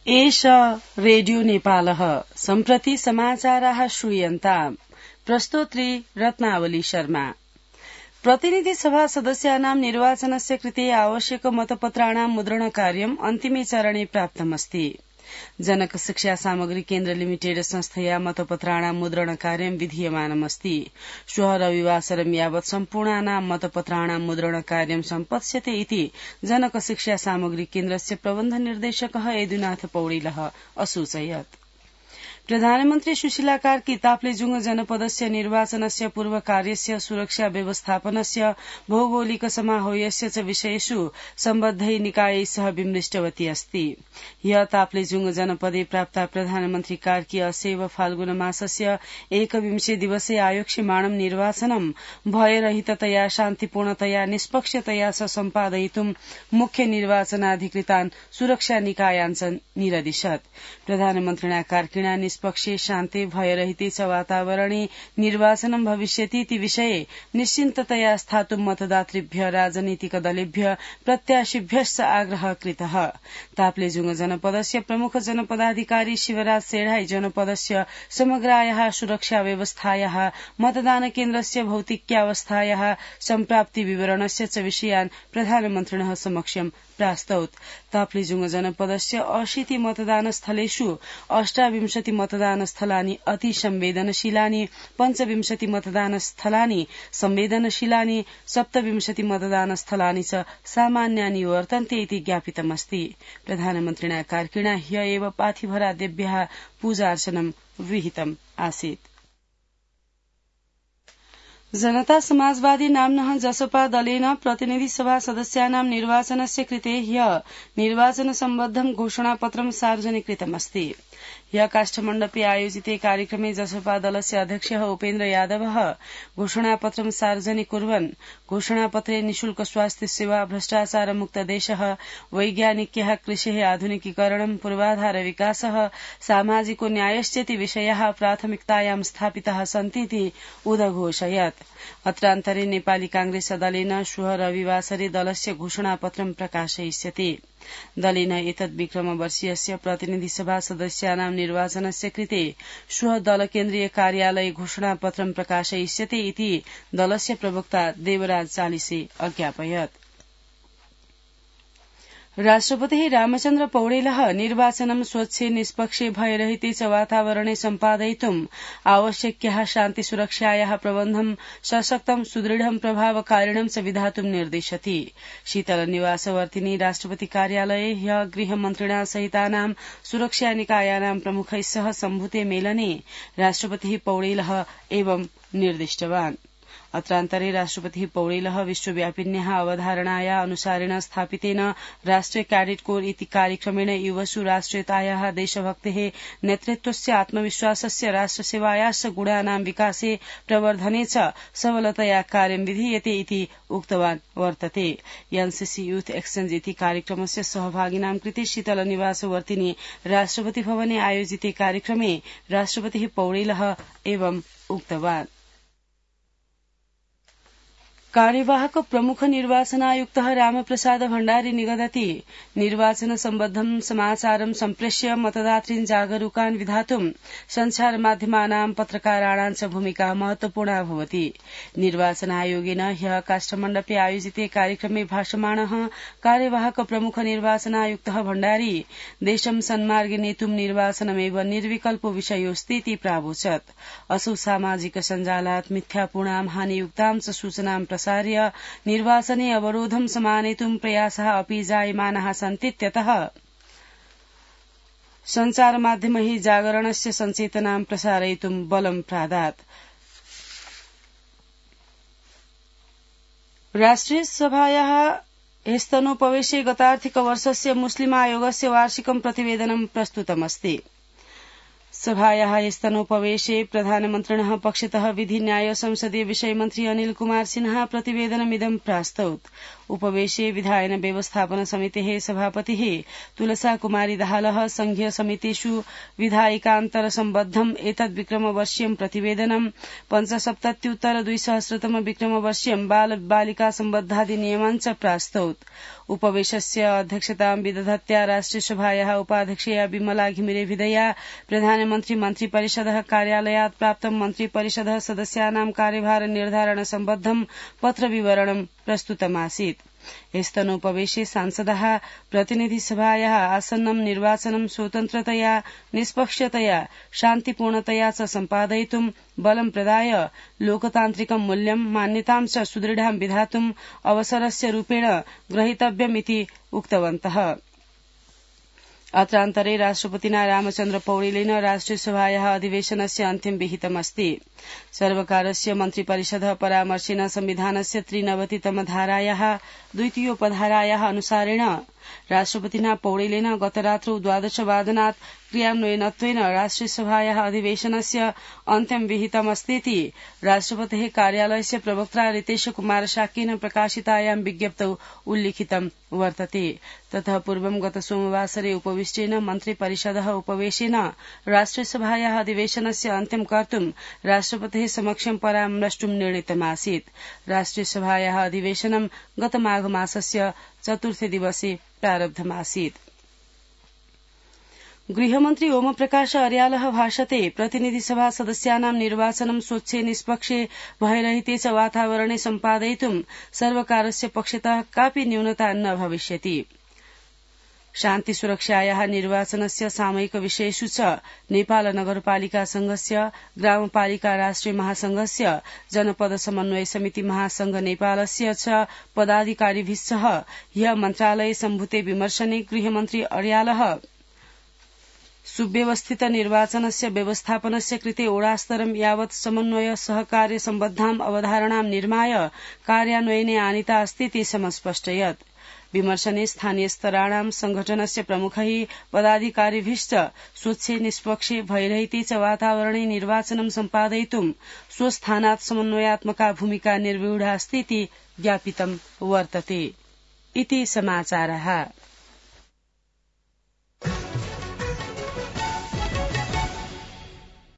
एष रेडियो नेपालः सम्प्रति समाचाराः श्रूयन्ताम् प्रस्तोत्री रत्नावली शर्मा। प्रतिनिधि सभा सदस्यानां निर्वाचनस्य कृते आवश्यक मतपत्राणां मुद्रणकार्यम् अन्तिमे चरणे प्राप्तमस्ति। जनक शिक्षा सामग्री केन्द्र लिमिटेड संस्थया मतपत्राणां मुद्रणकार्यं विधीयमानमस्ति। श्वः रविवासरं यावत् सम्पूर्णानां मतपत्राणां मुद्रणकार्यं सम्पत्स्यते इति जनक शिक्षा सामग्री केन्द्रस्य प्रबन्ध निर्देशकः यदुनाथ पौडेलः असूचयत्। प्रधानमन्त्री सुशीला कार्की ताप्लेजुङ जनपदस्य निर्वाचनस्य पूर्वकार्यस्य सुरक्षा व्यवस्थापनस्य भौगोलिक समाहोयस्य च विषयेषु सम्बद्धै निकायै सह विमृष्टवती अस्ति। ह्य ताप्लेजुङ जनपदे प्राप्ता प्रधानमन्त्री कार्की असैव फाल्गुन मासस्य 21 दिवसे आयोक्ष्यमाणं निर्वाचनं भयरहिततया शान्तिपूर्णतया निष्पक्षतया च सम्पादयितुं मुख्य निर्वाचनाधिकृतान् सुरक्षा निकायान् च निरदिशत्। प्रधानमन्त्रिणा कार्किणा निष्पक्षे शान्ते भयरहिते च वातावरणे निर्वाचनं भविष्यतीति विषये निश्चिन्ततया स्थातुं मतदातृभ्य राजनीतिक दलेभ्य प्रत्याशिभ्यश्च आग्रह कृतः। ताप्लेजुङ जनपदस्य प्रमुख जनपदाधिकारी शिवराज सेढाई जनपदस्य समग्रायाः सुरक्षा व्यवस्थायाः मतदान केन्द्रस्य भौतिक्यावस्थायाः सम्प्राप्ति विवरणस्य च विषयान् प्रधानमन्त्रिणः समक्षं प्रास्तौत्। ताप्लेजुङ जनपदस्य 80 मतदानस्थलेषु 28 मतदानस्थलानि अति संवेदनशीलानि, 25 मतदानस्थलानि संवेदनशीलानि, 27 मतदानस्थलानि च सामान्यानि वर्तन्ते इति ज्ञापितमस्ति। प्रधानमन्त्रिणा कार्किणा ह्य एव पाथिभरादेभ्यः पूजार्चनं विहितम् आसीत्। जनता समाजवादी नाम्नः जसपा दलेन प्रतिनिधि सभा सदस्यानां निर्वाचनस्य कृते ह्य निर्वाचन सम्बद्धं घोषणापत्रं सार्वजनिकृतमस्ति। ह्य काष्ठमण्डपे आयोजिते कार्यक्रमे जसपा दलस्य अध्यक्षः उपेन्द्र यादवः घोषणापत्रं सार्वजनिक कुर्वन् घोषणापत्रे निशुल्क स्वास्थ्य सेवा, भ्रष्टाचार मुक्त देशः, वैज्ञानिक्यः कृषेः आधुनिकीकरणं, पूर्वाधार विकासः, सामाजिको न्यायश्चेति विषयाः प्राथमिकतायां स्थापिताः सन्तीति उदघोषयत्। अत्रान्तरे नेपाली कांग्रेस दलेन श्वः रविवासरे दलस्य घोषणापत्रं प्रकाशयिष्यति। दलेन एतद् विक्रमवर्षीयस्य प्रतिनिधि सभा सदस्यानां निर्वाचनस्य कृते श्वः दल केन्द्रीय कार्यालये घोषणापत्रं प्रकाशयिष्यते इति दलस्य प्रवक्ता देवराज चालिसे अज्ञापयत्। राष्ट्रपतिः रामचन्द्र पौडेलः निर्वाचनं स्वच्छे निष्पक्षे भयरहिते च वातावरणे सम्पादयितुं आवश्यक्याः शान्ति सुरक्षायाः प्रबन्धं सशक्तं सुदृढं प्रभावकारिणं च विधातुं निर्दिशति। शीतल निवासवर्तिनी राष्ट्रपति कार्यालये ह्य गृहमन्त्रिणा सहितानां सुरक्षा निकायानां प्रमुखैः सह सम्भूते मेलने राष्ट्रपतिः पौडेलः एवं निर्दिष्टवान्। अत्रान्तरे राष्ट्रपतिः पौडेलः विश्वव्यापिन्याः अवधारणाया अनुसारेण स्थापितेन राष्ट्रिय कैडेट कोर इति कार्यक्रमेण युवसु राष्ट्रियतायाः, देशभक्तेः, नेतृत्वस्य, आत्मविश्वासस्य, राष्ट्रसेवायाश्च गुणानां विकासे प्रवर्धने च सबलतया कार्यं विधीयते इति उक्तवान् वर्तते। एनसीसी यूथ एक्सचेंज इति कार्यक्रमस्य सहभागिनां कृते शीतल निवासवर्तिनी राष्ट्रपति भवने आयोजिते कार्यक्रमे राष्ट्रपतिः पौडेलः एवं उक्तवान्। कार्यवाहक प्रमुख निर्वाचनायुक्तः रामप्रसाद भण्डारी निगदति निर्वाचन सम्बद्धं समाचारं सम्प्रेष्य मतदातॄन् जागरूकान् विधातुं संचार माध्यमानां पत्रकाराणां च भूमिका महत्वपूर्णा भवति। निर्वाचन आयोगेन ह्यः काष्ठमण्डपे आयोजिते कार्यक्रमे भाषमाणः कार्यवाहक प्रमुख निर्वाचनायुक्तः भण्डारी देशं सन्मार्गे नेतुं निर्वाचनमेव निर्विकल्पो विषयोऽस्तीति प्रावोचत्। असौ सामाजिक सञ्जालात् मिथ्यापूर्णां हानियुक्तां च सूचनां प्रसार्य निर्वाचने अवरोधं समानेतुं प्रयासः अपि जायमानाः सन्तीत्यतः सञ्चारमाध्यमैः जागरणस्य सञ्चेतनां प्रसारयितुं बलं प्रादात्। राष्ट्रिय सभायाः ह्यस्तनोपवेशे गतार्थिकवर्षस्य मुस्लिम आयोगस्य वार्षिकं प्रतिवेदनं प्रस्तुतमस्ति। सभायाः ह्यस्तनोपवेशे प्रधानमन्त्रिणः पक्षतः विधि न्याय संसदीय विषय मन्त्री अनिल कुमार सिन्हा प्रतिवेदनमिदं प्रास्तौत्। उपवेशे विधायन व्यवस्थापन समितेः सभापतिः तुलसा कुमारी दाहालः संघीय समितिषु विधायिकान्तर सम्बद्धम् एतद् विक्रमवर्षीयं प्रतिवेदनं 75-200 विक्रमवर्षीयं बाल बालिका सम्बद्धाधिनियमान् च प्रास्तौत्। उपवेशस्य अध्यक्षतां विदधत्या राष्ट्रियसभायाः उपाध्यक्षया विमला घिमिरे विधया प्रधानमन्त्री मन्त्रिपरिषदः कार्यालयात् प्राप्तं मन्त्रिपरिषदः सदस्यानां कार्यभार निर्धारण सम्बद्धं पत्रविवरणं प्रस्तुतमासीत्। एस्तनोपवेशे सांसदाः प्रतिनिधिसभायाः आसन्नं निर्वाचनं स्वतन्त्रतया निष्पक्षतया शान्तिपूर्णतया च सम्पादयितुं बलं प्रदाय लोकतान्त्रिकं मूल्यं मान्यतां च सुदृढां विधातुं अवसरस्य रूपेण ग्रहीतव्यमिति उक्तवन्तः। अत्रान्तरे राष्ट्रपतिना रामचन्द्र पौडेलेन राष्ट्रियसभायाः अधिवेशनस्य अन्त्यं विहितमस्ति। सर्वकारस्य मन्त्रिपरिषदः परामर्शेन संविधानस्य 93तम धारायाः द्वितीयोपधारायाः अनुसारेण राष्ट्रपतिना पौडेलेन गतरात्रौ 12 वादनात् क्रियान्वयनत्वेन राष्ट्रियसभायाः अधिवेशनस्य अन्त्यं विहितमस्तीति राष्ट्रपतेः कार्यालयस्य प्रवक्त्रा रितेश कुमार शाक्येन प्रकाशितायां विज्ञप्तौ उल्लिखितं वर्तते। ततः पूर्वं गत सोमवासरे उपविष्टेन मन्त्रिपरिषदः उपवेशेन राष्ट्रियसभायाः अधिवेशनस्य अन्त्यं कर्तुं राष्ट्रपतेः समक्षं परामृष्टुं निर्णीतमासीत्। राष्ट्रियसभायाः अधिवेशनं गत माघ मासस्य 4थे दिवसे प्रारब्धमासीत्। गृहमन्त्री ओमप्रकाश अर्यालः भाषते प्रतिनिधिसभा सदस्यानां निर्वाचनं स्वच्छे निष्पक्षे भयरहिते च वातावरणे सम्पादयितुं सर्वकारस्य पक्षतः कापि न्यूनता न भविष्यति। शान्तिसुरक्षायाः निर्वाचनस्य सामयिक विषयेषु च नेपाल नगरपालिका संघस्य ग्रामपालिका राष्ट्रिय महासंघस्य जनपद समन्वय समिति महासंघ नेपालस्य च पदाधिकारिभिः सह ह्यः मन्त्रालये सम्भूते विमर्शने गृहमन्त्री अर्यालः सुव्यवस्थित निर्वाचनस्य व्यवस्थापनस्य कृते ओडास्तरं यावत् समन्वय सहकार्य सम्बद्धां अवधारणां निर्माय कार्यान्वयने आनीता अस्तीति समस्पष्टयत्। विमर्शने स्थानीय स्तराणां संघटनस्य प्रमुखैः पदाधिकारिभिश्च स्वच्छे निष्पक्षे भयरहिते च वातावरणे निर्वाचनं सम्पादयितुं स्वस्थानात् समन्वयात्मका भूमिका निर्व्यूढा अस्तीति ज्ञापितं वर्तते। इति समाचारः।